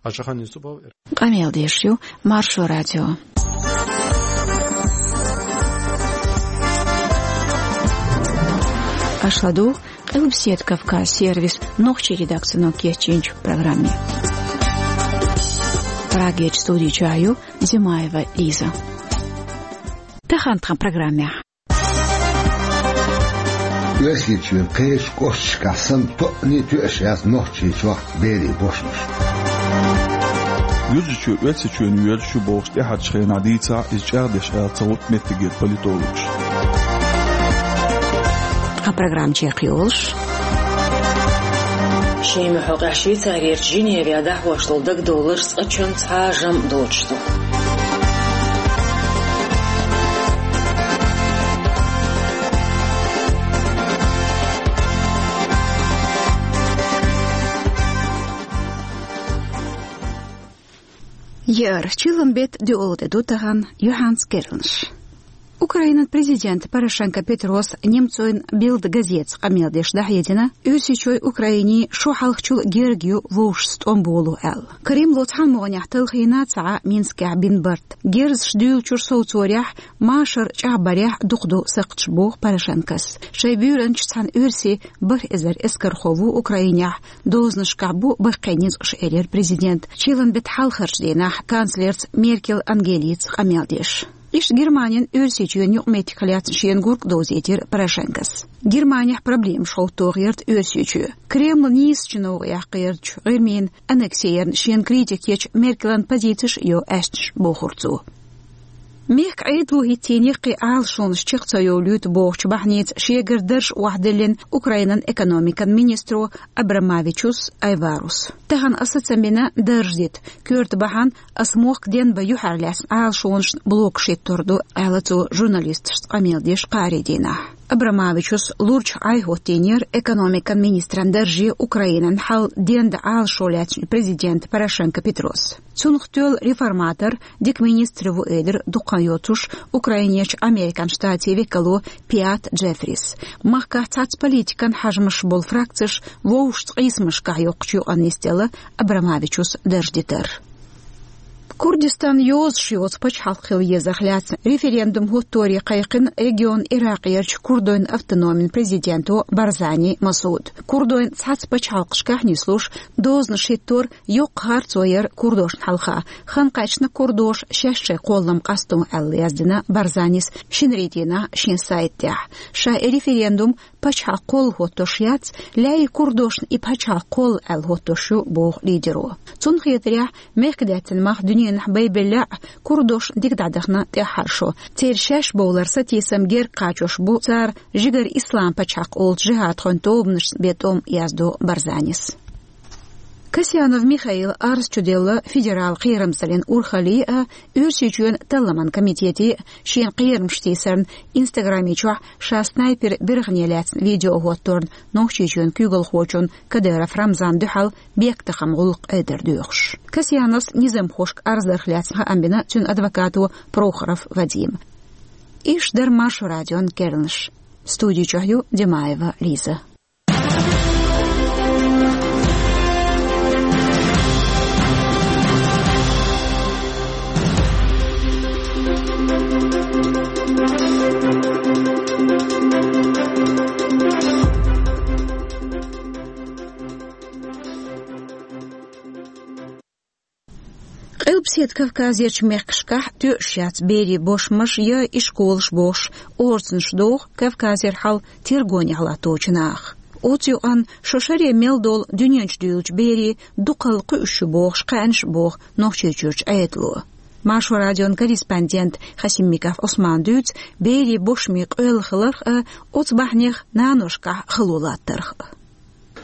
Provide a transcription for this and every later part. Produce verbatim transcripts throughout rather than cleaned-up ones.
Ашахан Юсупов. Къамел деш ю Маршо радио. Аша ладугӀу Къилбаседа Кавказ сервисан нохчийн редакцино кечйинчу программе. Прагерчу студи чохь ю Зимаева Лиза. Тахана тхан программехь. Оьрсийчоьнан кхечу кӀошташкахь санна тоъане а тоьуш яц Нохчийчохь берийн бошмаш. Юьржичоь Оьрсийчоьнна воьрзуш ю бохуш тӀаьхьарчу хенахь дийцахь, иза чӀагӀдеш ала ца гӀутту меттигера политологаша. Тхан программа чекхйолуш. Шен муьхьа хьокъехь Швейцарерчу Женевехь дӀахьош долу дагадовларш цкъачунна цхьа а жамӀ доцуш ду. Яра, чиллан беттан доьалгӀа тӀе ду тахана, юьхьанца керланаш. Украинан президента Порошенко Петрос немцойн Билд газетаца къамел деш дӀахьедина, Оьрсийчоьнна Украинина шо хьалхачул герга ю вовшашца тӀом боло аьлла. Кремло цхьана могӀанехь талхийна ца Ӏа Минскехь бина барт. Герзаш дуьйлучуьра совцорехь, машар чӀагӀбарехь дукха ду сакхташ, боху Порошенкос. Шайн буьйранча цхьана оьрсийн бархӀ эзар эскархо ву Украинехь, дозанашкахь бу баккхий ницкъаш, элира президента, чиллан беттан хьалхарчу дийнахь канцлерца Меркель Ангелица къамел деш. Иштта Германин Оьрсийчоьнна юкъаметтигах лаьцна шена гург а довзийтира Порошенкос. Германехь проблемаш хӀоттор гӀерта Оьрсийчоь. Кремлан нийсачу новкъахь кхерачу ГӀирмин аннексерна шена критика ечу Меркелан позицеш а йо аьшнаш, бохура цо. Мехкан Ӏедало хӀиттийна яккхий Ӏалашонаш чекх ца йовлуьйту бохучу бахьаница шегара дарж охьадиллина Украинан экономикан министро Абрамавичус Айварус. Тахана аса ца бина дарж дита, коьрта бахьана аса мохк денбан юьхьарлаьцна Ӏалашонашна блокаш хӀиттор ду, аьлла цо журналисташца къамел деш кхаарин дийнахь. Абрамавичус лурчахь Ӏай хӀоттийнера экономикан министран дарже Украинан хьал дендан Ӏалашо лаьцначу президента Порошенко Петрос. Цунах тоьлла реформатор, дика министр ву, элира дукха хан йоцуш Украинерчу Американ Штатийн векало Пиат Джеффрис. Махкахь цхьацца политикан хьажамаш болу фракцеш вовшашца къийсамашкахь йоккхучу юкъанна нисделла Абрамавичус дарж дитар. Курдистан йозуш йоцу пачхьалкх хила езарх лаьцна референдум хӀотторе кхайкхина регионан Иракъерчу курдойн автономин президенто Барзани Масуда. Курдойн цхьацца пачхьалкхашкахь нислуш, дозанаш хӀиттор йоккха харцо яра курдошна хьалха. Хан кхаьчна курдоша шаьш шайн кхоллам къасто аьлла, яздина Барзанис шинарин дийнахь шен сайта тӀехь. Ша и референдум пачхьалкх кхолла хӀоттош яц, лаьий курдошна и пачхьалкх кхолла аьлла хӀоттош ю, боху лидеро. Цунна хетарехь, мехкдаьттина мах дуьненахь байбелла а, курдошна дика дӀадахана тӀаьххьара шо. Церан шаьш бовлар сатийсам герга кхачош бу цара жигара ислам пачхьалкх олучу жихӀадхойн тобанашца бен тӀом, яздо Барзанис. Касьянов Михаила арз чуделла федералан кхерамзаллин урхалле а, Оьрсийчоьнан талламан комитете а шена кхерамаш тийсарна Инстаграме чохь ша снайпер биргӀане лаьцна видео хӀотторна Нохчийчоьнан куьйгалхочунна Кадыров Рамзанна дуьхьал бехктакхаман гӀуллакх Ӏедар доьхуш. Касьяновс низамхошка арз дарх лаьцна хаам бина цуьнан адвокато Прохоров Вадима. Иштта дара Маршо радион керланаш. Студи чохь ю Димаева Лиза. Къилбаседа Кавказерчу мехкашкахь тоьуш яц берийн бошмаш я ишколаш бохуш, орцанаш доху Кавказера хьал тергонехь латточу наха. Оцу юкъанна шо шаре мел долу дуьнен чу дуьйлучу берийн дукхалла кхуьуш ю бохуш кхаьънаш а боху Нохчийчуьрчу Ӏедало. Маршо радион корреспондент Хасимиков Ӏусмана дуьйцу берийн бошмийн къоьлла хиларх а, оцу бахьанех наношкахь хало латтарх а.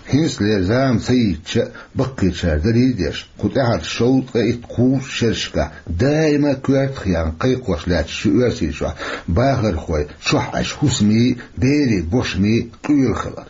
ХӀинцалера зама ца йитча а, баккхийчара дарий а деш, кху тӀаьхьарчу шовзткъе итт-кхузткъа шерашкахь даима коьртах яьлла кхайкхош лаьтташ ю Оьрсийчохь бахархой чохь Ӏаш хӀусамийн, берийн бошмийн къоьлла хилар.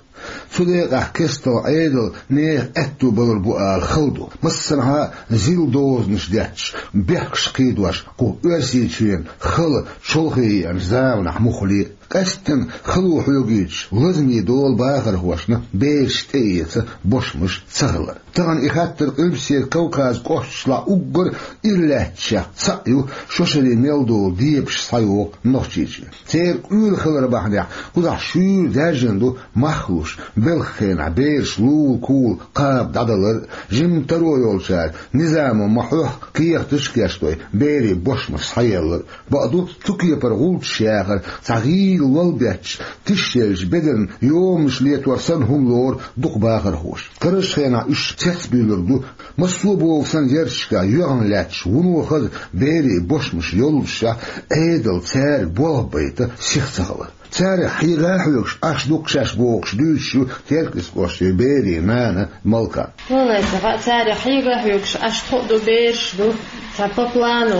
Цу декъехь кестта Ӏедал нехан аьтто балур бу ала хала ду. Массанхьа зил дозанаш детташ, бехкаш кхийдош, кху Оьрсийчоьнан хала чолхе еанчу заманахь муххале а. Къаьсттина хало хьоьгуьйтуш, лазаме долу бахархошна бераш тӀеэца бошмаш ца хилар. Тахана и хаттар Къилбаседа Кавказан кӀошташлахь уггар ира лаьтташех цхьаъ ю, шо шаре мел долу дебаш схьайоху Нохчийчоь. Церан къуьйла хилар бахьанехь, кхузахь шуьйра даьржина ду мах луш, белхан хенахь бераш лула-кула кхаба дӀадалар а, жимма таро йолчара низамо ма-хьоьхху кехаташ а кечдой, берийн бошмаш схьаеллар а. Бакъду, цу кепара гӀулчаш яхар цхьа гӀийла лол бетташ, тишъеллачу бедарна йоманаш летор санна хӀума лору дукха бахархоша. Карарчу хенахь уьш цецбуьйлур ду, массо а боху санна ярташкахь йоьгӀна лаьтташ, вуно хаза берийн бошмаш йоллушехь, Ӏедал цаьрга болх байта сиха ца хилар. Царех хьега а хьоьгуш Ӏаш ду-кх шаьш бохуш дуьйцуш ю Теркйист кӀоштан берийн нана Малка. Валлай, ца хаьа, царех хьега а хьоьгуш Ӏаш тхо а ду, бераш а ду. Цхьа по плану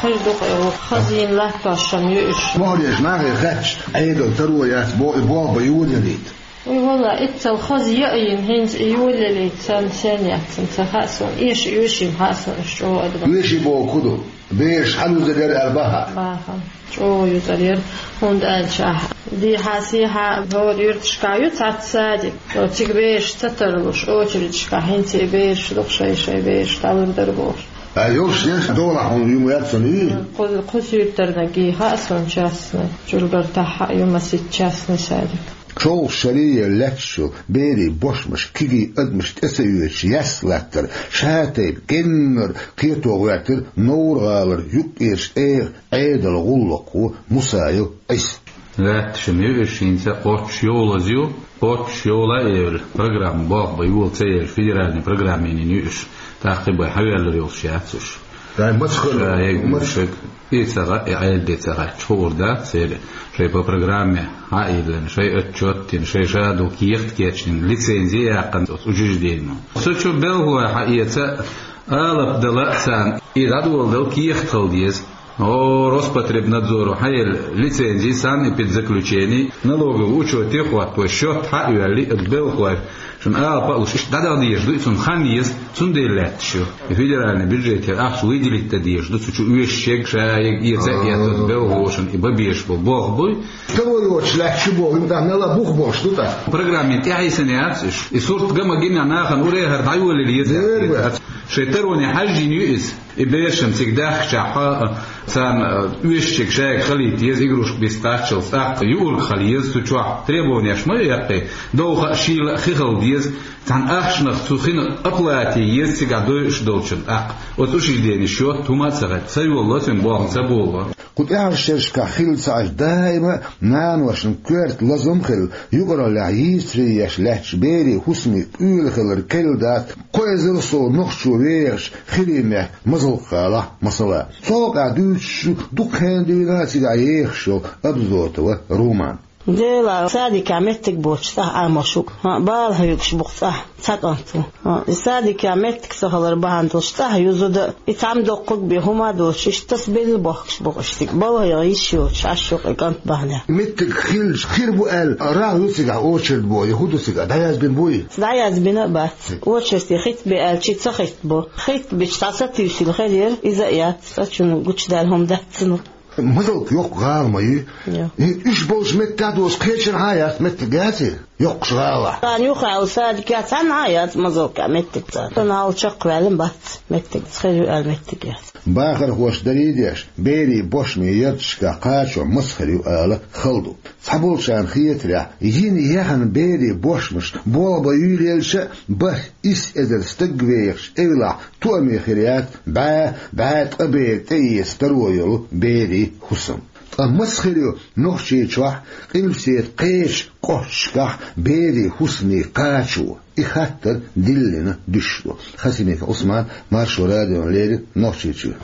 хир ду-кх и, хаза йина латтош ю уьш. Мухьлеш нахе хаьттича, Ӏедал таро яц боху, и болх бан йолаялийта. Уй, валлай, иццал хаза яа йина, хӀинца и йолаялийта санна, сен яц, ца хаьа суна. Эша оьший-м хаьа суна, уьш чӀогӀа а ду. Оьший боху хӀун ду? Бераш хьалаюзар яра аьлла баха? Баха. ЧӀогӀа юзар яра, хӀунда аьлча ахь дехьа-сехьа хӀора юьрташкахь ю цхьацца садик. Цига бераш ца тарлуш, очередашкахь хӀинца и бераш ду-кх, шай-шай бераш дӀалур дара бохуш. Ай, йолуш деш долахь хьуна юма яц сан ий? Кху-, кху суьртарниг хаьа суна частный, Чуьлгартахь а ю масийтта частный садик. ЧолгӀа шаре лаьтташ йолу берийн бошмаш кегий адамаш тӀе ца оьцуш яьсса латтар ша тайпа геннара кхето гӀоьртира Новр-гӀалара юккъерчу тӀегӀан Ӏедалан гӀуллакхо Мусаев Ӏиса. Лаьтташ-м ю уьш, хӀинца кхоччуш йолаза ю, кхоччуш йола а евлла, программа болх бан йола ца езаш, федеральный программа йина ю уьш. ТӀаккха и бен хьавеллар йолуш яц уьш. Дай маца хала? Ша егна маца? Шег и ца гӀа, и Ӏедал де ца гӀа, чу хуур дац, церан шайн по программе хьа а йиллина, шайн отчет а дина, шайн ша ду кехат а кечдина, лицензи а яьккхина оцу учрежденино. Цу чу белхалой хьаэца, алапа дала а царна, и дӀадоладала кехат хила деза. О, Роспотребнадзоро хьаелла лицензи, санэпидзаключени, налоговый учёте а хӀоттавой, счёт хьа а йоьллий, оцу белхалой шуна алапа а луш, иштта дӀадаха дезаш ду, и цунна хан еза, цундела лаьтташ ю. И федеральный бюджетера ахча выделить дан дезаш ду, цу чу оьшуш ерг, ша ерг, эца а эцна, белхалошна и бан безаш болу болх буй. Таро йоцуш лаьтташ ю боху, хӀинца мел а бух болуш ду тӀаккха. Программе тӀехьийсина яц уьш. И сурт ган ма гина, нахана уре а хӀара дӀайолийла еза. Дера бац. Шайн тароне хьаьжжина ю иза. И бераш-м цига даьхкича хьа, царна оьшуш ерг шайга хилийта еза, игрушка бистаччалц, тӀаккха юург хила еза цу чохь, требованеш ма ю яккхий, довха а, шийла а хи хила деза, цхьана ахчанах цу хинах оплата е еза цигахь дойуш долчун тӀаккха. Оцу учрежденин счёт хӀума а ца хета, ца йолало цуьнан болх, ца болало. Кху тӀаьхьарчу шерашкахь хилла ца Ӏаш, даима а наношна коьрта лазам а хилла, юкъараллехь йийцаре еш лаьтташ берийн хӀусамийн къуьйла хилар кхелла дац, кхо эзар сов нохчо вехаш хирийн метта Мазалк-гӀалахь, масала. Цу хьокъехь дуьйцуш ю дукха хенахь дуьйна а цигахь ехаш йолу Абзотова Румана. Дела, садикехь меттиг боцуш цӀахь Ӏамош ву-кх. ХӀаъ, бала хьоьгуш бу-кх цӀахь, цхьа кӀант ву. ХӀаъ, и садикехь меттиг ца хилар бахьана долуш цӀахь ю зуда, и цхьамма доккхург бен хӀума а доцуш, иштта тасбелла бохкуш бу-кх уьш цига. Балха йиша йоцуш Ӏаш ю-кх и кӀант бахьанехь. Меттиг хилча хир бу аьлла, рагӀ ю цигахь очередь боху, я хӀун ду цигахь, дӀаязбина буй? ДӀаязбина а бац. Очередь хитта бен аьлча, ца хитта бу. Хитта бича, цхьа сатуьйсийла хир яра, иза а яц. Цкъачунна гучудаьлла хӀума дац цунах. Мазалк йоккха гӀала ма ю? Йо. И уьш болчу меттехь доцу кхечанхьа а яц меттиг, яций? Йоккхачу гӀалахь. Царна юххехь йолу садикехь цхьанхьа а яц Мазалкехь меттиг царна. Сан хьал чекхваьлла бац, меттиг ца хир ю аьлла меттиг яц. Бахархоша дарий деш, берийн бошмийн ярташкахь кхачо маца хир ю ала хала ду. Цхьаболчарна хетарехь, йина яхана берийн бошмаш болх бан юьйлаелча а, бархӀ-исс эзар стаг вехаш эвлахь, тоаме хир яц бӀе, бӀе ткъа бер тӀеэца таро йолу берийн хӀусам. Ткъа маца хир ю Нохчийчохь, Къилбаседа кхечу кӀошташкахь берийн хӀусамийн кхачо? И хаттар диллина дуьсуш ду. Хасимиков Ӏусман, Маршо радиона леррина, Нохчийчоь.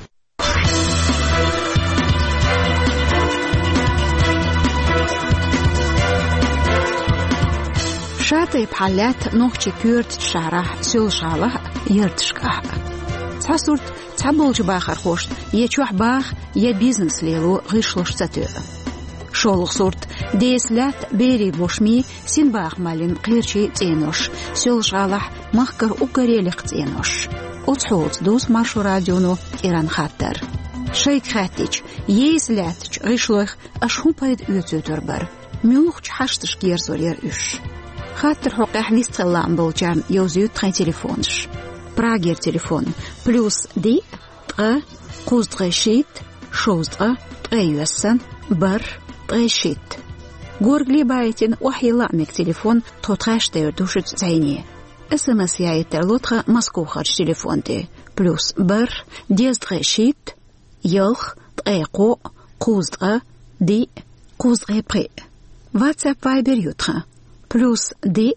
Ша тайпа хьал лаьтта нохчийн коьртачу шахьарахь, Соьлжа-ГӀалахь а, ярташкахь а. Цхьа сурт, цхьаболчу бахархошна я чохь баха, я бизнес лело гӀишлуш ца тоьа. ШолгӀа сурт, деса лаьтта берийн бошмийн, синбаха маллин кхерчийн цӀенош, Соьлжа-ГӀалахь махкара уггаре лекха цӀенош. Оцу хьолаца дувц Маршо радионо кӀиранан хаттар. Шайга хаьттича, еза лаьттачу гӀишлойх аша хӀун пайда оьцуьйтур бара? Муьлхачу хьашташка ерзор яра уьш? Хаттаран хьокъехь нисдала лаам болчарна йовзуьйту тхайн телефонаш. Прагера телефон: плюс диъ, ткъа, кхузткъе шийтта, шовзткъа, ткъе йоьссана, бархӀ, ткъе шийтта. Горгали байтина охьайилла а мега телефон, тхо тхаьш тӀе йуьр ду шуьца зӀене. СМС яийта тарло тхан Москвахарчу телефон тӀе: плюс бархӀ, дезткъе шийтта, ялх, ткъе кхоъ, кхузткъа, диъ, кхузткъе пхиъ. WhatsApp, Viber ю тхан: плюс диъ,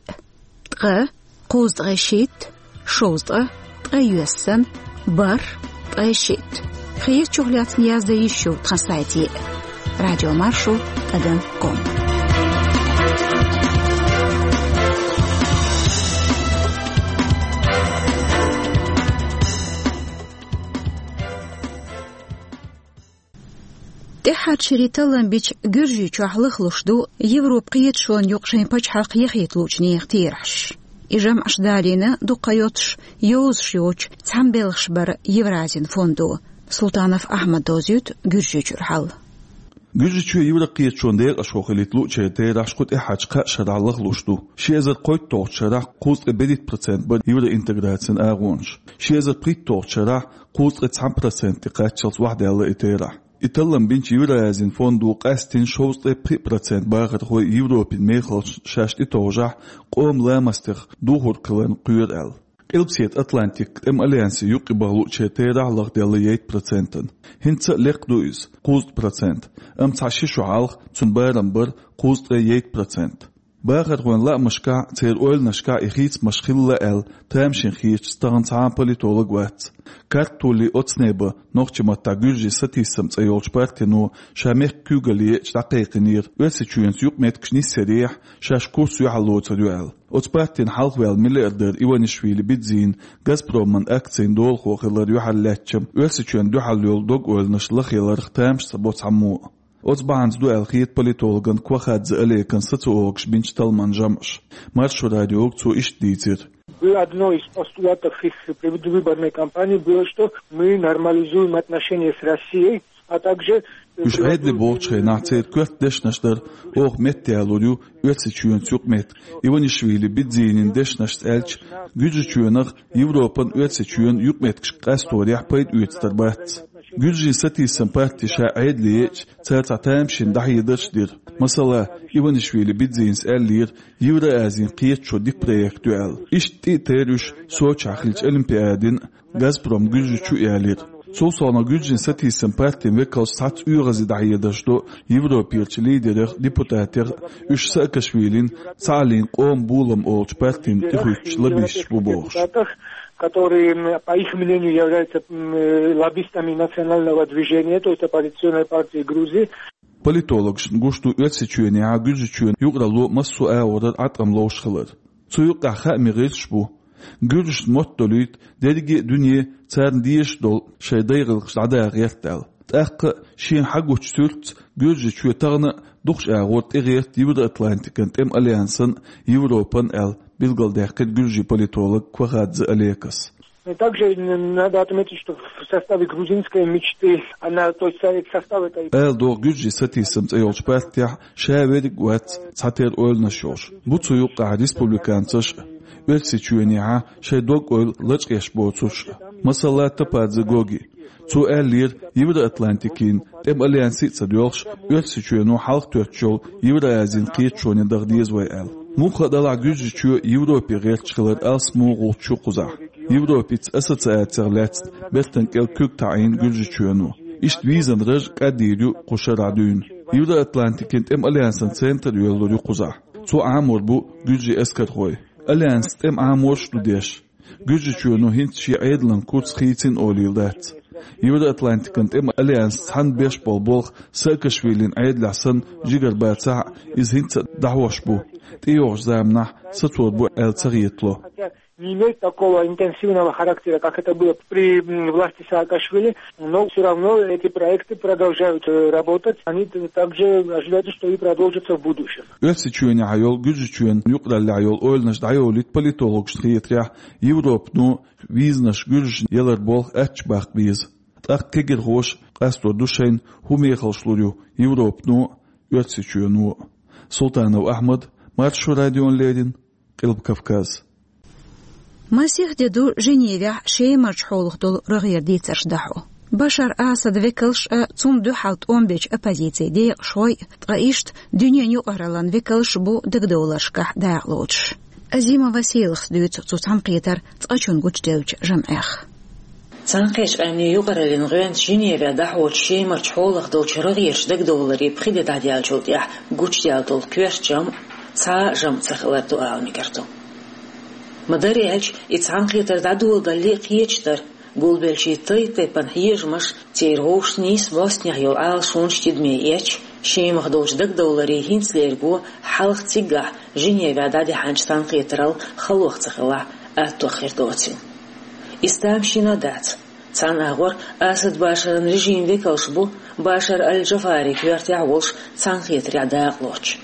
ткъа, кхузткъе шийтта, шовзткъа, ткъе йоьссана, бархӀ, ткъе шийтта. Хетачух лаьцна яздан йиш ю тхан сайте: радиомаршо тӀадам ком. ТӀаьххьарчу шерийн таллам бича Гуьржийчохь лахлуш ду Европан кхеташонна юкъа шайн пачхьалкх яхийта луучу нехан терахьаш. И жамӀаш далийна дуккха йоцуш, йовзуш йоцчу цхьана белхаш бара Евразин фондо. Султанов Ахьмада довзуьйту Гуьржийчуьра хьал. Гуьржийчоь Европан кхеташонан декъашхо хилийта луучеран терахьаш кху тӀаьххьарчу кхаа шарахь лахлуш ду. Ши эзар кхойтталгӀачу шарахь кхузткъе берхӀитта процент бара евроинтеграцин агӀонаш. Ши эзар пхийтталгӀачу шарахь кхузткъе цхьана проценте кхаччалц охьадаьлла и терахь. И таллам бинчу Евразин фондо къаьстина шовзткъе пхиъ процент бахархой Европин мехаллаш шаьш тӀетовжахь, къоман ламастех духург хиларна кхоьру аьлла. Къилбаседа Атлантикан тӀеман альянсе юкъе баха луучеран терахь лахделла ейтта процентана. ХӀинца а лекха ду иза, кхузткъа процент, амма цхьа ши шо хьалха цуьнан барам бара кхузткъе ейтта процент. Бахархойн лаамашкахь, церан ойланашкахь и хийцамаш хилла аьлла тамашийна хеташ тахана цхьа а политолог вац. Картулли Оцнеба, нохчийн маттахь Гуьржийн сатийсам цӀе йолчу партино ша мехкан куьйгалле еча дӀакхайкхинера, Оьрсийчоьнца юкъаметтигаш нисъярехь, шаьш курс юьхьарлоцур ю аьлла. Оцу партина хьалхаваьлла миллиардер Иванишвили Бидзина «Газпроман» акцийн долахо хилар юьхьарлаьцча, Оьрсийчоьнна дуьхьал йолу дог-ойланаш лахъяларх тамаш ца бо цхьаммо а. Оцу бахьанца ду аьлла хета политологна Квахадзе Олекана социологаша бинчу талламан жамӀаш. Маршо радиога цо иштта дийцира: Было одно из постулатов их предвыборной кампании, было, что мы нормализуем отношения с Россией, а также... Уьш Ӏедале бохучу хенахь церан коьрта дешнаш дара: «Оха меттаялур ю Оьрсийчоьнца юкъаметтиг». Иванишвили Бидзинин дешнашца аьлча, Гуьржийчоьнах Европан, Оьрсийчоьнан юкъаметтигаш къасторехь пайда оьцур бац. Гуьржийн сатийсам парти ша Ӏедале еъча, цара цхьа тамашийна дӀахьедарш а дира. Масала, Иванишвили Бидзинас аьллера, Евразин кхеташо дика проект ю аьлла. Иштта тӀе а терра уьш Сочехь хиллачу Олимпиадин «Газпром Гуьржийчу» ялийра. Цул совнаха Гуьржийн сатийсам партин векалш цхьацца оьгӀазе дӀахьедарш до Европерчу лидерех, депутатех, уьш Саакашвилин «Цхьааллин къоман болам» олучу партина тӀехуьттуш лоббисташ бу бохуш. Которые, м, по их мнению, являются, м, э, лоббистами национального движения, то есть оппозиционной партии Грузии. Политологашна гуш ду Оьрсийчоьнехьа Гуьржийчоьнан юкъаралло массо а агӀорара Ӏаткъам ловш хилар. Цу юккъехь хаамийн гӀирсаш бу. Гуьржашна мотт долуьйту дерриге а дуьне царна дезаш долу шайн дай гӀиллакхаш дӀадаха гӀерта аьлла. ТӀаккха а шена хьагучу суьртаца Гуьржийчоь тахана а дукхачу агӀор тӀегӀерта Евроатлантикан тӀеман альянсан а, Европан а аьлла, билгалдаьккхира гуьржийн политолог Квахадзе Олекас. Также надо отметить, что в составе грузинской мечты, она, то есть в составе этой... Ала догӀу, Гуьржийн сатийсам цӀе йолчу партехь ша верриг а вац цхьатерра ойланаш йолуш. Бу цу юккъехь республиканцаш а, Оьрсийчоьнехьа шайн дог-ойла лачкъеш боцурш а. Масала, Топадзе Гоги. Цо аьллера, Евроатлантикин тӀеман альянсе а ца доьлхуш, Оьрсийчоьно хьалха тоьттуш йолу Евразин кхеташоне даха деза вай аьлла. Муха а делахь, Гуьржийчоь Европе гӀерташ хилар алсамо гӀулч ю кхузахь. Европица ассоциацех лаьцна бертан кӀел куьг таӀийна Гуьржийчоьно. Иштта визан раж кӀаддийр ю кху шарахь дуьйна. Евроатлантикин тӀеман альянсан центр йоьллур ю кхузахь. Цо Ӏамор бу гуьржийн эскархой. Альянс тӀеман Ӏаморш а ду деш. Гуьржийчоьно хӀинца шен Ӏедалан курс хийцина олийла дац. Евроатлантикан тӀеман альянс цхьаьна беш болу болх Саакашвилин Ӏедалехь санна жигара бацахь а, иза хӀинца а дӀахьош бу. ТӀейогӀучу заманахь сацор бу аьлла ца хетало. Не имеет такого интенсивного характера, как это было при, м, власти Саакашвили, но всё равно эти проекты продолжают, э, работать. Они т-, также ожидаются, что и продолжатся в будущем. Оьрсийчоьнехьа йолу, Гуьржийчоьнан юкъараллехь йолу ойланаш дӀайолуьйту политологашна хетарехь, Европано визанаш гуьржашна ялар болх аттачу баккха беза. ТӀаккха кагирхоша къастор ду шайна, хӀун мехаллаш лур ю Европано а, Оьрсийчоьно а. Султанов Ахьмад, Маршо радиона леррина, Къилба Кавказ. Масех де ду Женевехь Шемарчу хьолах долу рогӀера дийцарш дӀахьо. Башар Асадан векалш а, цунна дуьхьал тӀом бечу оппозицин декъашхой а, ткъа иштта дуьненан юкъараллин векалш а бу дагадовларшкахь дакъалоцуш. Азима Василас дуьйцу цу цхьаьнакхетаран цкъачунна гучуделлачу жамӀех. Цхьаьнакхеттачу Къаьмнийн юкъараллин гӀоьнца Женевехь дӀахьочу Шемарчу хьолах долчу рогӀерачу дагадовларийн пхи де дӀадаьллачул тӀаьхьа гучудаьлла долу коьрта жамӀ цхьа а жамӀ ца хилар ду ала мегар ду. Ма-дарра аьлча, и цхьаьнакхетар дӀадоладалале а кхеташ дара, гулбеллачийн тайп-тайпана хьежамаш, церан вовшашца нийса бӀостанехьа йолу Ӏалашонаш тидаме эцча, Шемах долчу дагадовларийн хӀинца лерго хьалха циггахь Женевехь дӀадаьхьначу цхьаьнакхетарал халох ца хилахь, аттох хир доцийла. Иза тамашийна а дац. Цхьана агӀор Асад Башаран режиман векалш бу Башар аль-Джафарин коьртехь а волуш цхьаьнакхетарехь дакъалоцуш.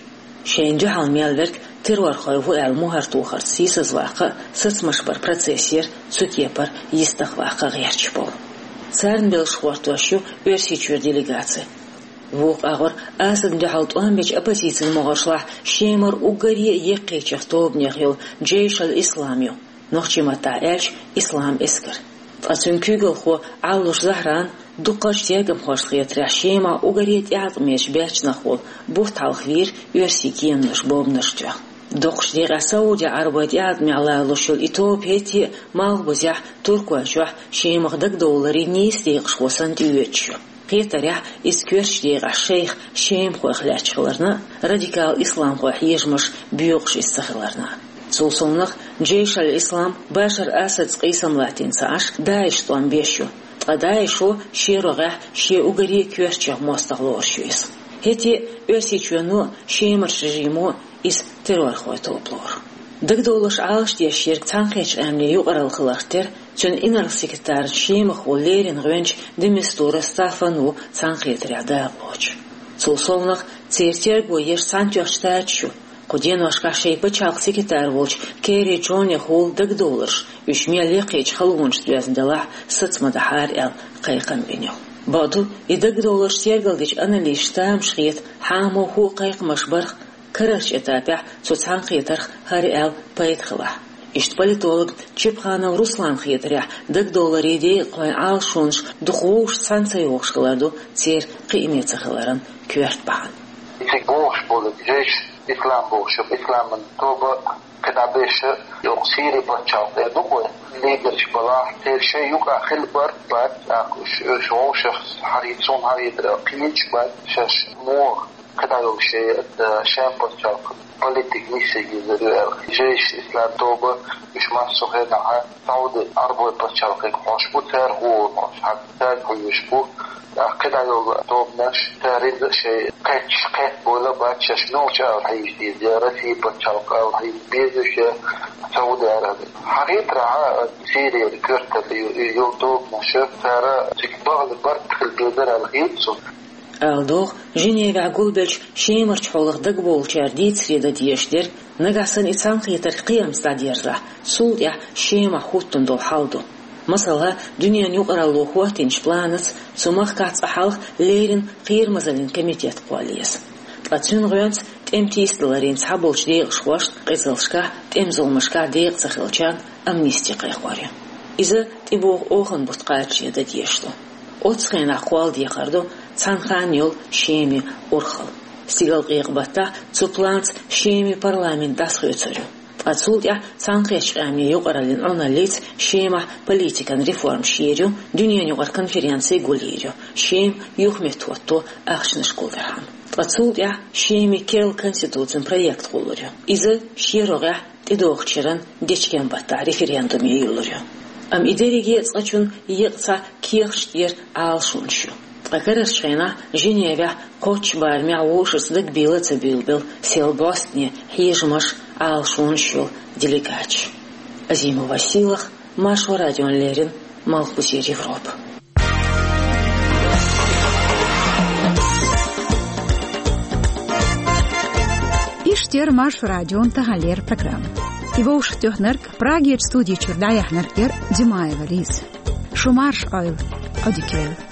Шайна дуьхьал мел верг террорхой ву аьлла мухӀар тохарца сийсазваккха а, сацамаш баран процесс яра цу кепара йистехваккха гӀерташ болу. Царна белшаш гӀортош ю Оьрсийчуьра делегаци. Вукху агӀор Асадна дуьхьал тӀом бечу оппозицин могӀаршлахь Шемара уггаре а яккхийчех тобанех йолу Джейш аль-Ислам ю, нохчийн маттахь аьлча, Ислам эскар. Ткъа цуьнан куьйгалхо Ӏаллуш Захьран дуккхачу тергамхошна хетарехь, Шемахь уггаре тӀеӀаткъамечу баьччанах волу бутт хьалха вийра оьрсийн кеманаша бомбанаш тоьхна. Доккхачу декъехь Саудийн Ӏарбойн тӀеӀаткъамехь лалуш йолу и тоба хӀетте а Малхбузехь, Туркойчохь Шемах дагадовларийн нийса декъашхо санна тӀеоьцуш ю. Кхетарехь, иза коьртачу декъехь шайх шемахойх лаьтташ хиларна а, радикал исламхойн хьежамаш боькъуш иза ца хиларна а. Цул совнаха, Джейш аль-Ислам Башар Асадца къийсам латтийна ца Ӏаш, ДАИШ тӀом беш ю, ткъа ДАИШо шен рогӀехь шен уггаре а коьртачех мостагӀа лоруш ю иза. ХӀетте а Оьрсийчоьно а, Шемарчу режимо а иза террорхойн тоба лору. Дагадовларш Ӏалашдеш ерг Цхьаьнакхеттачу Къаьмнийн юкъаралла хиларх тера, цуьнан инарла-секретаран Шемахо леррина гӀоьнча де Мистура Стаффан ву цхьаьнакхетарехь дакъалоцуш. Цул совнаха, церан терго еш Цхьаьнатоьхначу Штаташ ю, кху деношкахь шайн пачхьалкхан секретарь волчу Керри Джонехула дагадовларш, уьш мел яккхийчу халонашца доьзна делахь а, саца ма дахьара аьлла, кхайкхам бина ю. Бакъду, и дагадовларш тергалдечу аналисташна тамашийна хета, хьан муха а кхайкхамаш барх, карарчу этапехь цу цхьаьнакхетарх хӀара аьлла пайда хилахь. Иштта политолог Чепханов Русланна хетарехь, дагадовларийн декъахойн Ӏалашонаш дукха вовшашца цхьаьна ца йогӀуш хилар ду церан кхиаме ца хиларан коьрта бахьана. Цига бохуш болу Джейш Ислам бохуш, Исламан тоба кхидӀа беша, йоккха Сири пачхьалкх тӀе ду-кх вай, лидерш балахь, церан шайн юкъахь хила бара бац, тӀаккха уьш, уьш вовшах хьарий, цунна хьарий дара кхийча бац, шаьш муха кхидӀа йолу шайн, э, шен пачхьалкх политик нисъе йизар ю аьлла. Джейш Ислам тоба уьш массо а хенахь Сауди Ӏарбойн пачхьалкхе хьош бу, цара хӀума хьош, хьан цаьрга хьоьжуш бу. ТӀаккха кхидӀа йолу тобанаш, цара иза шайн кхетча, кхетта бовла бац, шаьш муьлхачу ала хьийза деза, я Россин пачхьалкх ала хьийза беза уьш, я Сауди Араби. Хьан хетарехь, Сирияра коьрталла ю-, ю-, йолу тобанаш, цара цига бахьана барт хила безар аьлла хета суна. Ала догӀу, Женевехь гулбеллачу Шемарчу хьолах дагабовлучара дийцаре дан дезаш дерг, нагахь санна и цхьаьнакхетар кхиамца дӀадерзахь, цул тӀаьхьа Шемахь хӀуттун долу хьал ду. Масала, дуьненан юкъаралло хӀоттийначу планаца цу махкахь цкъа хьалха леррина кхерамазаллин комитет кхолла еза. Ткъа цуьнан гӀоьнца тӀеман тийсадаларийн цхьаболчу декъашхошна, къизаллашкахь, тӀеман зуламашкахь декъа ца хиллачарна амнисти кхайкхор ю. Иза тӀебогӀу оханан бутт кхачаре дан дезаш ду. Оццу хенахь кхолладехар ду цхьана ханна йолу Шеман урхалла. Стигалкъекъа баттахь цу планца Шеман парламент дӀасахоьцур ю. Ткъа цул тӀаьхьа Цхьаьнакхеттачу Къаьмнийн юкъараллин Ӏуналлица Шемахь политикан реформаш йийр ю, дуьненан юкъара конференци гулйийр ю, Шема юхаметтахӀотто ахчанаш гулдархьама. Ткъа цул тӀаьхьа Шеман керла конституцин проект гӀуллур ю. Иза шен рогӀехь тӀедогӀучу шеран дечкен баттахь референдуме йиллур ю. Амма и дерриге а цкъачунна еккъа цхьа кехаташ тӀера Ӏалашонаш ю. Ткъа карарчу хенахь Женевехь кхоччуш барамехь вовшашца дагабийла а ца буьйлабелла, сел бӀостанехьа хьежамаш, Ӏалашонаш йолу делегаташ. Азимова Сийлаха, Маршо радиона леррина, Малхбузера Европа. Иштта яра Маршо радион таханлера программа. И вовшахтоьхнарг, Прагерчу студи чуьра дӀаяьхьнарг яра Димаева Лиза. Шу марша Ӏойла. Audioguide.